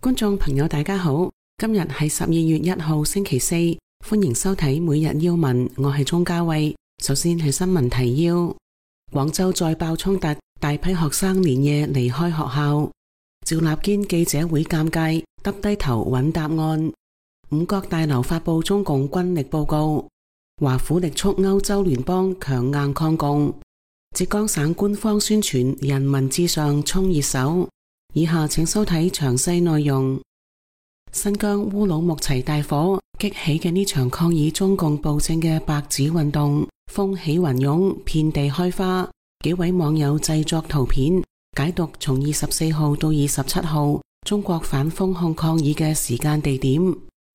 觀眾朋友大家好，今日係12月1號星期四，歡迎收睇每日要聞，我係鍾嘉慧。首先係新聞提要：廣州再爆衝突，大批學生連夜離開學校。趙立堅記者會尷尬，耷低頭揾答案。五角大樓發佈中共軍力報告。華府力促歐洲聯邦強硬抗共。浙江省官方宣傳人民至上衝熱搜。以下請收睇詳細內容。新疆烏魯木齊大火激起嘅呢場抗議中共暴政嘅白紙運動，風起雲湧，遍地開花。幾位網友製作圖片，解讀從24號到27號中國反封控抗議嘅時間地點。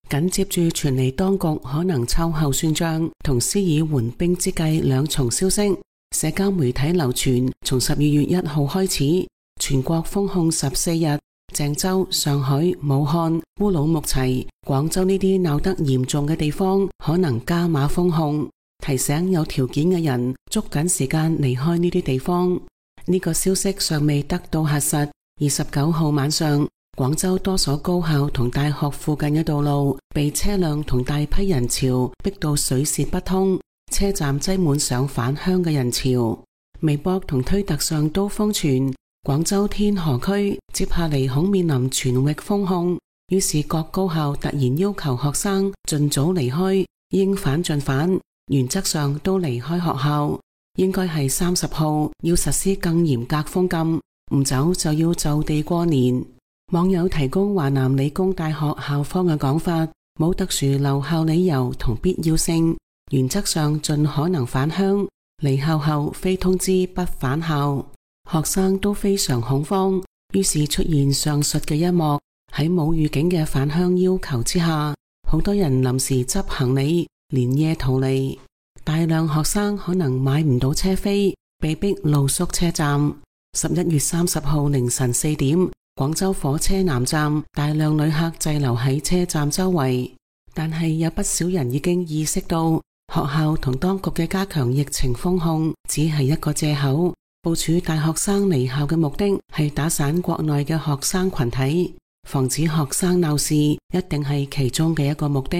緊接住傳嚟當局可能秋後算賬同施以緩兵之計兩重消息。社交媒體流傳，從12月1號開始，全國封控14日，鄭州、上海、武漢、烏魯木齊、廣州呢啲鬧得嚴重嘅地方可能加碼封控，提醒有條件嘅人捉緊時間離開呢啲地方。呢個消息尚未得到核實。29號晚上，廣州多所高校同大學附近嘅道路被車輛同大批人潮逼到水泄不通，車站擠滿上返鄉嘅人潮。微博同推特上都瘋傳廣州天河區接下嚟恐面臨全域封控，於是各高校突然要求學生盡早離開，應返盡返，原則上都離開學校。應該係30號要實施更嚴格封禁，唔走就要就地過年。網友提供華南理工大學校方嘅講法，冇特殊留校理由同必要性，原則上盡可能返鄉，離校後非通知不返校。學生都非常恐慌，於是出現上述嘅一幕。喺冇預警嘅返鄉要求之下，好多人臨時執行李，連夜逃離。大量學生可能買唔到車飛，被逼露宿車站。11月30號凌晨4點，廣州火車南站大量旅客滯留喺車站周圍，但係有不少人已經意識到，學校同當局嘅加強疫情封控只係一個借口。部署大學生離校嘅目的係打散國內嘅學生群體，防止學生鬧事，一定係其中嘅一個目的。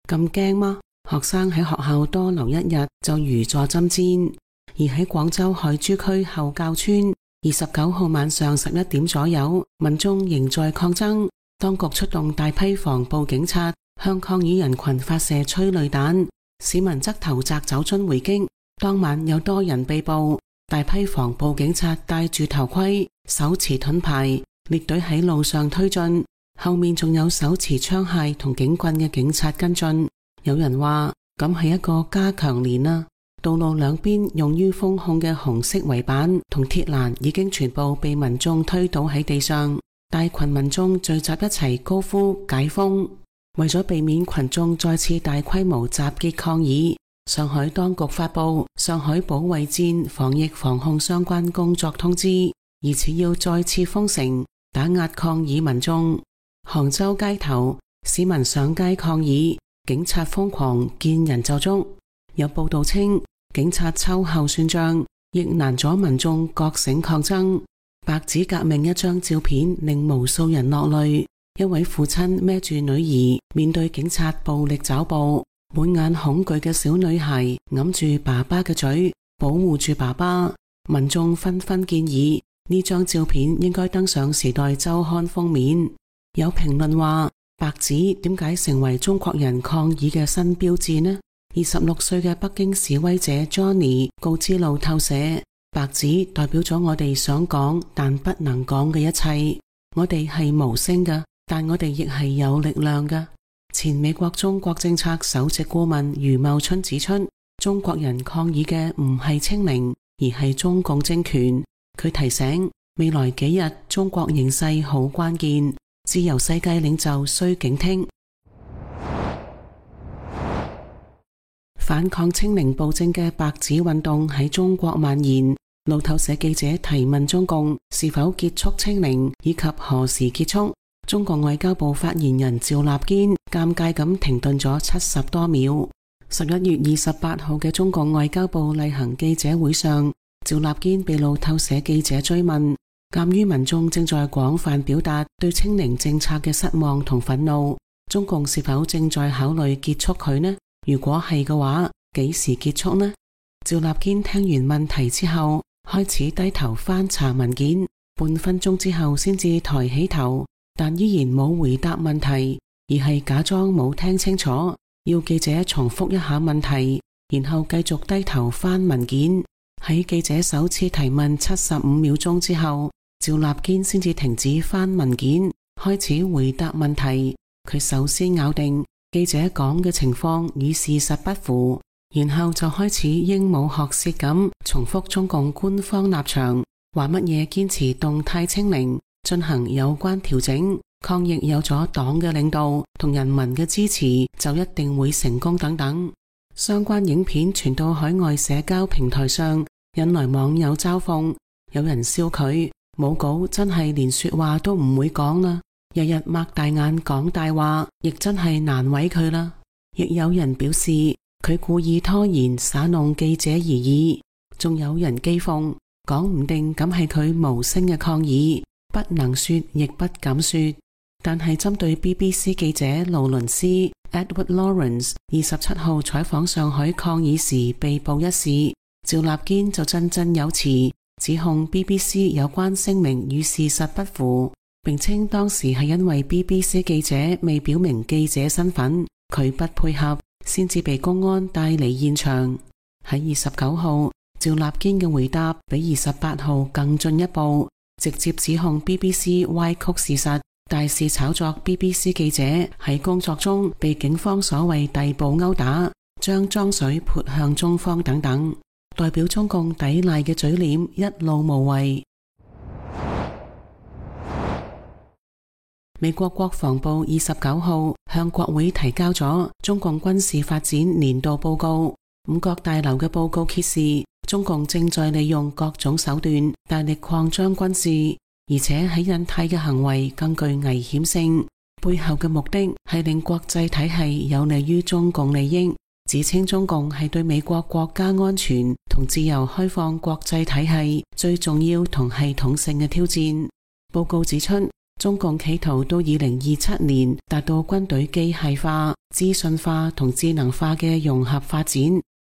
咁驚嗎？學生喺學校多留一日就如坐針氈。而喺廣州海珠區後滘村，29號晚上11點左右，民眾仍在抗爭，當局出動大批防暴警察向抗議人群發射催淚彈，市民則投擲酒樽回擊。當晚有多人被捕。大批防暴警察戴住頭盔，手持盾牌，列隊喺路上推進，後面仲有手持槍械同警棍嘅警察跟進。有人話咁係一個加強連啊！道路兩邊用於封控嘅紅色圍板同鐵欄已經全部被民眾推倒喺地上，大群民眾聚集一齊高呼解封。為咗避免群眾再次大規模集結抗議，上海當局發佈上海保衛戰防疫防控相關工作通知，疑似要再次封城，打壓抗議民眾。杭州街頭市民上街抗議，警察瘋狂見人就捉。有報道稱，警察秋後算賬，亦難阻民眾覺醒抗爭。白紙革命一張照片令無數人落淚，一位父親孭住女兒面對警察暴力抓捕，滿眼恐懼嘅小女孩揞住爸爸嘅嘴，保護住爸爸。民眾紛紛建議呢張照片應該登上《時代週刊》封面。有評論話，白紙點解成為中國人抗議嘅新標誌呢？26歲嘅北京示威者 Johnny 告知路透社，白紙代表咗我哋想講但不能講嘅一切。我哋係無聲嘅，但我哋亦係有力量嘅。前美國中國政策首席顧問余茂春指出，中國人抗議嘅唔係清零，而係中共政權。佢提醒，未來幾日中國形勢好關鍵，自由世界領袖需警惕。反抗清零暴政嘅白紙運動喺中國蔓延。路透社記者提問中共是否結束清零以及何時結束，中國外交部發言人趙立堅尷尬咁停頓咗70多秒。11月28號嘅中國外交部例行記者會上，趙立堅被路透社記者追問鑒於民眾正在廣泛表達對清零政策嘅失望同憤怒，中共是否正在考慮結束佢呢？如果係嘅話，幾時結束呢？趙立堅聽完問題之後，開始低頭翻查文件，半分鐘之後先至抬起頭，但依然冇回答問題，而係假裝冇聽清楚，要記者重複一下問題，然後繼續低頭翻文件。喺記者首次提問75秒鐘之後，趙立堅先至停止翻文件，開始回答問題。佢首先咬定記者講嘅情況與事實不符，然後就開始鸚鵡學舌咁重複中共官方立場，話乜嘢堅持動態清零，進行有關調整，抗疫有咗黨嘅領導同人民嘅支持就一定會成功等等。相關影片傳到海外社交平台上，引來網友嘲諷，有人笑佢冇稿真係連說話都唔會講啦，日日擘大眼講大話，亦真係難為佢啦。亦有人表示佢故意拖延耍弄記者而已，仲有人譏諷，講唔定咁係佢無聲嘅抗議，不能說亦不敢說。但係針對 BBC 記者勞倫斯 Edward Lawrence 27號採訪上海抗議時被捕一事，趙立堅就振振有詞，指控 BBC 有關聲明與事實不符，並稱當時係因為 BBC 記者未表明記者身份，佢不配合，先至被公安帶離現場。喺29號，趙立堅嘅回答比28號更進一步，直接指控 BBC 歪曲事實，大肆炒作 BBC 記者喺工作中被警方所謂逮捕毆打，將髒水潑向中方等等。代表中共抵賴嘅嘴臉一路無遺。美國國防部29號向國會提交咗中共軍事發展年度報告。五角大樓嘅報告揭示，中共正在利用各種手段大力擴張軍事，而且喺印太嘅行為更具危險性，背後嘅目的係令國際體系有利於中共利益，指稱中共係對美國國家安全同自由開放國際體系最重要同系統性嘅挑戰。報告指出，中共企圖到2027年達到軍隊機械化、資訊化同智能化嘅融合發展，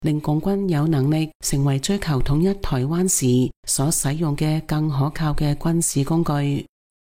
令共軍有能力成為追求統一台灣時所使用嘅更可靠嘅軍事工具。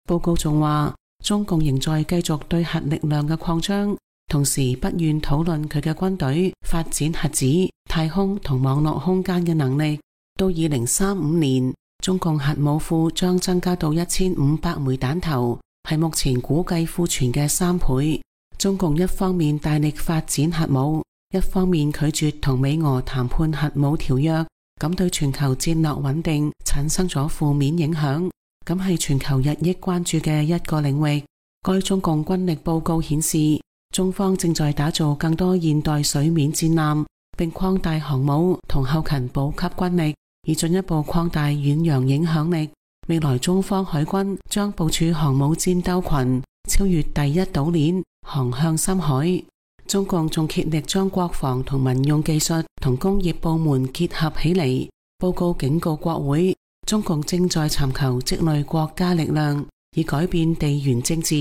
報告仲話，中共仍在繼續對核力量嘅擴張，同時不願討論佢嘅軍隊發展核子、太空同網絡空間嘅能力。到2035年，中共核武庫將增加到1500枚彈頭，係目前估計庫存嘅3倍。中共一方面大力發展核武，一方面拒絕同美俄談判核武條約，咁對全球戰略穩定產生咗負面影響。咁係全球日益關注嘅一個領域。該中共軍力報告顯示，中方正在打造更多現代水面戰艦，並擴大航母同後勤補給軍力，以進一步擴大遠洋影響力。未來中方海軍將部署航母戰鬥群，超越第一島鏈，航向深海。中共仲竭力將國防同民用技術同工業部門結合起嚟。報告警告國會，中共正在尋求積累國家力量，以改變地緣政治，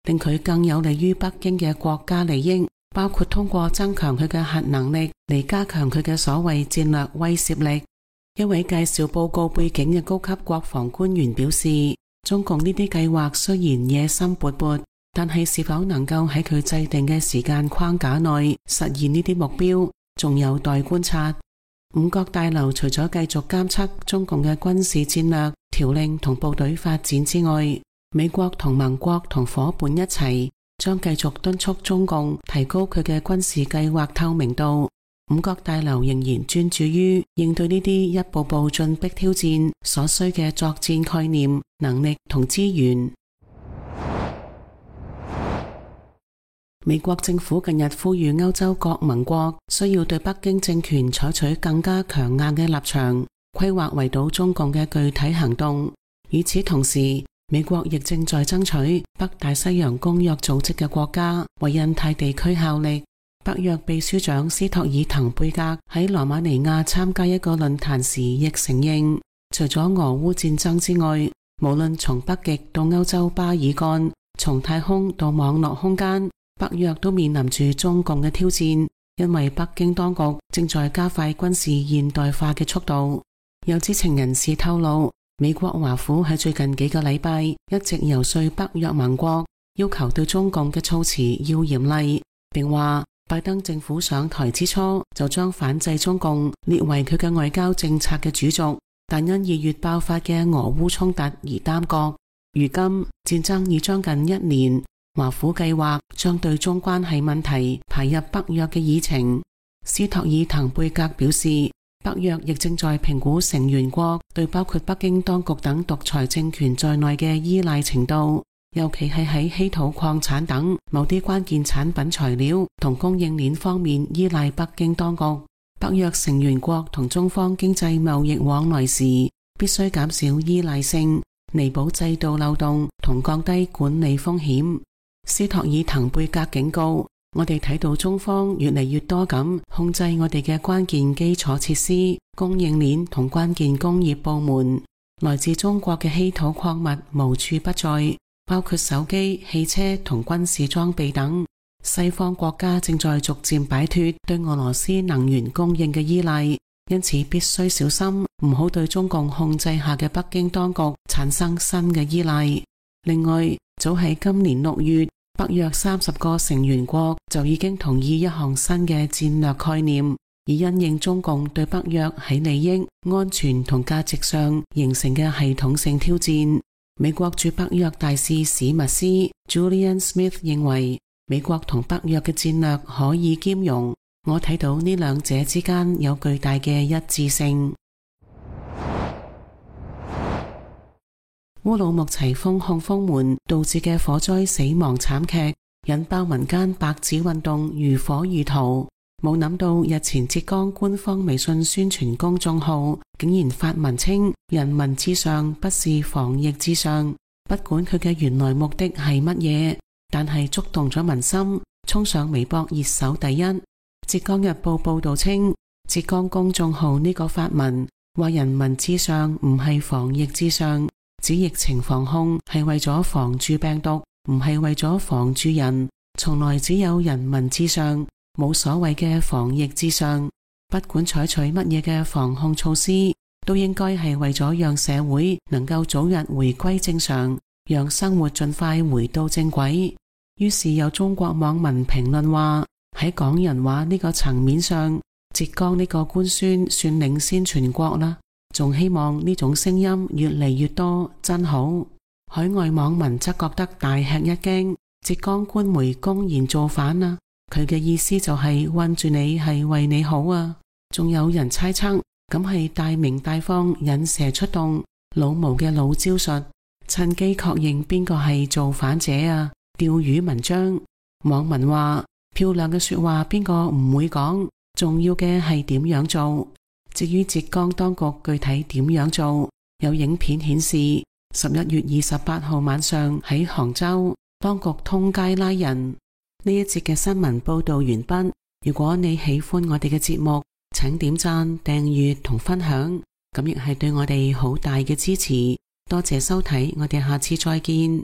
令佢更有利於北京嘅國家利益，包括通過增強佢嘅核能力嚟加強佢嘅所謂戰略威懾力。一位介紹報告背景嘅高級國防官員表示，中共呢啲計劃雖然野心勃勃，但係是否能夠喺佢制定嘅時間框架內實現呢啲目標，仲有待觀察。五角大樓除咗繼續監測中共嘅軍事戰略、條令同部隊發展之外，美國同盟國同夥伴一齊將繼續敦促中共提高佢嘅軍事計劃透明度。五角大樓仍然專注於應對呢啲一步步進逼挑戰所需嘅作戰概念、能力同資源。美國政府近日呼籲歐洲各盟國需要對北京政權採取更加強硬嘅立場，規劃圍堵中共嘅具體行動。與此同時，美國亦正在爭取北大西洋公約組織嘅國家為印太地區效力。北約秘書長斯托爾滕貝格喺羅馬尼亞參加一個論壇時亦承認，除咗俄烏戰爭之外，無論從北極到歐洲巴爾幹，從太空到網絡空間，北約都面臨住中共嘅挑戰，因為北京當局正在加快軍事現代化嘅速度。有知情人士透露，美國華府喺最近幾個禮拜一直游說北約盟國，要求對中共嘅措辭要嚴厲，並話拜登政府上台之初就將反制中共列為佢嘅外交政策嘅主軸，但因2月爆發嘅俄烏衝突而耽擱。如今戰爭已將近1年，華府計劃將對中關係問題排入北約嘅議程。斯托爾滕貝格表示，北約亦正在評估成員國對包括北京當局等獨裁政權在內嘅依賴程度，尤其係喺稀土礦產等某啲關鍵產品材料同供應鏈方面依賴北京當局。北約成員國同中方經濟貿易往來時，必須減少依賴性，彌補制度漏洞同降低管理風險。斯托爾滕貝格警告，我哋睇到中方越嚟越多咁控制我哋嘅關鍵基礎設施、供應鏈同關鍵工業部門。來自中國嘅稀土礦物無處不在，包括手機、汽車同軍事裝備等。西方國家正在逐漸擺脫對俄羅斯能源供應嘅依賴，因此必須小心，唔好對中共控制下嘅北京當局產生新嘅依賴。另外，早喺今年6月，北約30個成員國就已經同意一項新嘅戰略概念，以因應中共對北約喺利益、安全同價值上形成嘅系統性挑戰。美國駐北約大使史密斯 Julian Smith 認為，美國同北約嘅戰略可以兼容，我睇到呢兩者之間有巨大嘅一致性。烏魯木齊封控封門導致嘅火災死亡慘劇，引爆民間白紙運動如火如荼。冇諗到日前浙江官方微信宣傳公眾號竟然發文稱人民至上不是防疫至上，不管佢嘅原來目的係乜嘢，但係觸動咗民心，衝上微博熱搜第一。浙江日報報道稱，浙江公眾號呢個發文話人民至上唔係防疫至上，指疫情防控係為咗防住病毒，唔係為咗防住人，從來只有人民至上，冇所謂嘅防疫至上。不管採取乜嘢嘅防控措施，都應該係為咗讓社會能夠早日回歸正常，讓生活盡快回到正軌。於是有中國網民評論話，喺講人話呢個層面上，浙江呢個官宣算領先全國啦，仲希望呢種聲音越嚟越多，真好。海外網民則覺得大吃一驚，浙江官媒公然造反啊，佢嘅意思就係困住你係為你好啊。仲有人猜測，咁係大鳴大放引蛇出洞，老毛嘅老招術，趁機確認邊個係造反者啊，釣魚文章。網民話，漂亮嘅說話邊個唔會講，重要嘅係點樣做。至於浙江當局具體點樣做，有影片顯示11月28號晚上喺杭州，當局通街拉人。呢一節嘅新聞報道完畢。如果你喜歡我哋嘅節目，請點讚、訂閱同分享，咁亦係對我哋好大嘅支持。多謝收睇，我哋下次再見。